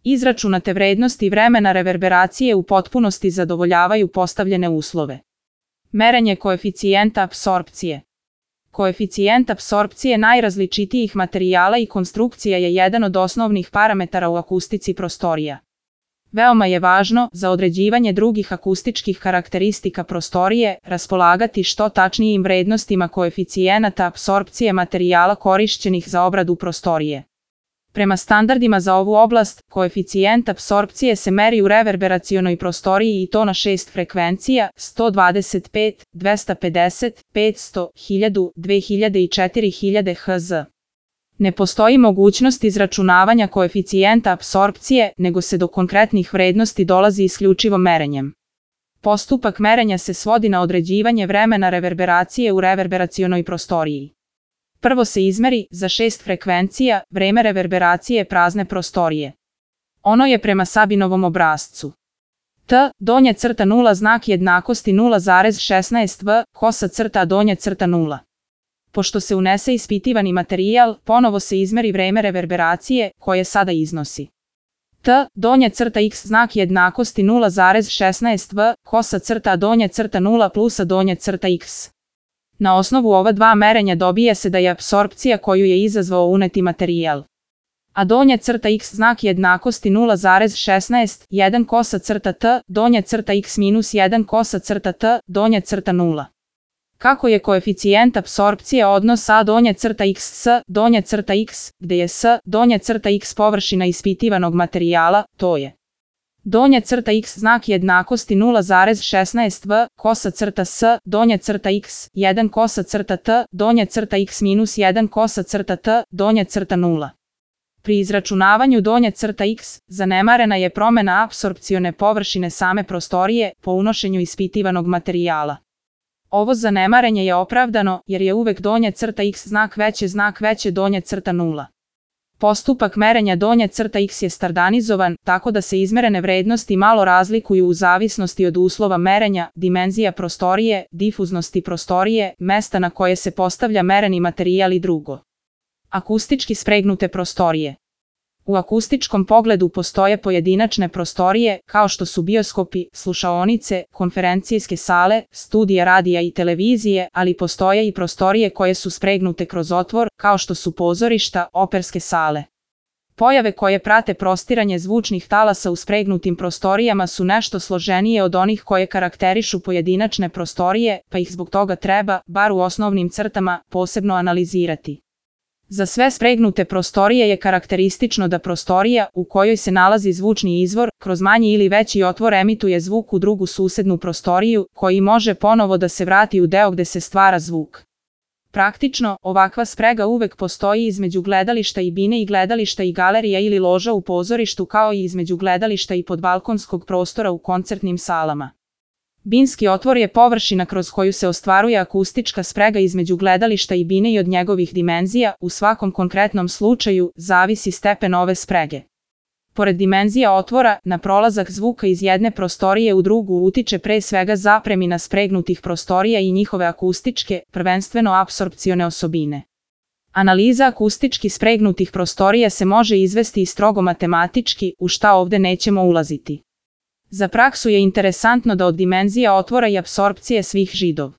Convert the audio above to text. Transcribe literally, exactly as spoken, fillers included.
Izračunate vrednosti vremena reverberacije u potpunosti zadovoljavaju postavljene uslove. Merenje koeficijenta apsorpcije. Koeficijent apsorpcije najrazličitijih materijala i konstrukcija je jedan od osnovnih parametara u akustici prostorija. Veoma je važno, za određivanje drugih akustičkih karakteristika prostorije, raspolagati što tačnijim vrednostima koeficijenata apsorpcije materijala korišćenih za obradu prostorije. Prema standardima za ovu oblast, koeficijent apsorpcije se meri u reverberacionoj prostoriji i to na šest frekvencija: sto dvadeset pet, dvesta pedeset, petsto, hiljadu, dve hiljade i četiri hiljade hertza. Ne postoji mogućnost izračunavanja koeficijenta apsorpcije, nego se do konkretnih vrednosti dolazi isključivo merenjem. Postupak merenja se svodi na određivanje vremena reverberacije u reverberacionoj prostoriji. Prvo se izmeri, za šest frekvencija, vreme reverberacije prazne prostorije. Ono je prema Sabinovom obrascu. T, donja crta nula, znak jednakosti nula zarez šesnaest V, kosa crta donja crta nula. Pošto se unese ispitivani materijal, ponovo se izmeri vreme reverberacije, koje sada iznosi T, donja crta X, znak jednakosti nula zarez šesnaest V, kosa crta donja crta nula plusa donja crta X. Na osnovu ova dva merenja dobije se da je apsorpcija koju je izazvao uneti materijal A donja crta X, znak jednakosti nula zarez šesnaest, jedan kosa crta T, donja crta X minus jedan kosa crta T, donja crta nula. Kako je koeficijent apsorpcije odnos A donja crta X s donja crta X, gde je S donja crta X površina ispitivanog materijala, to je donja crta X, znak jednakosti nula zarez šesnaest V, kosa crta S, donja crta X, jedan kosa crta T, donja crta X minus jedan kosa crta T, donja crta nula. Pri izračunavanju donja crta X, zanemarena je promena apsorpcione površine same prostorije po unošenju ispitivanog materijala. Ovo zanemarenje je opravdano, jer je uvek donja crta X znak veće znak veće donja crta nula. Postupak merenja donja crta X je standardizovan, tako da se izmerene vrednosti malo razlikuju u zavisnosti od uslova merenja, dimenzija prostorije, difuznosti prostorije, mesta na koje se postavlja mereni materijal i drugo. Akustički spregnute prostorije. U akustičkom pogledu postoje pojedinačne prostorije, kao što su bioskopi, slušaonice, konferencijske sale, studije radija i televizije, ali postoje i prostorije koje su spregnute kroz otvor, kao što su pozorišta, operske sale. Pojave koje prate prostiranje zvučnih talasa u spregnutim prostorijama su nešto složenije od onih koje karakterišu pojedinačne prostorije, pa ih zbog toga treba, bar u osnovnim crtama, posebno analizirati. Za sve spregnute prostorije je karakteristično da prostorija, u kojoj se nalazi zvučni izvor, kroz manji ili veći otvor emituje zvuk u drugu susednu prostoriju, koji može ponovo da se vrati u deo gde se stvara zvuk. Praktično, ovakva sprega uvek postoji između gledališta i bine i gledališta i galerija ili loža u pozorištu, kao i između gledališta i podbalkonskog prostora u koncertnim salama. Binski otvor je površina kroz koju se ostvaruje akustička sprega između gledališta i bine i od njegovih dimenzija, u svakom konkretnom slučaju, zavisi stepen ove sprege. Pored dimenzija otvora, na prolazak zvuka iz jedne prostorije u drugu utiče pre svega zapremina spregnutih prostorija i njihove akustičke, prvenstveno apsorpcione osobine. Analiza akustički spregnutih prostorija se može izvesti i strogo matematički, u šta ovde nećemo ulaziti. Za praksu je interesantno da od dimenzija otvora i apsorpcije svih židov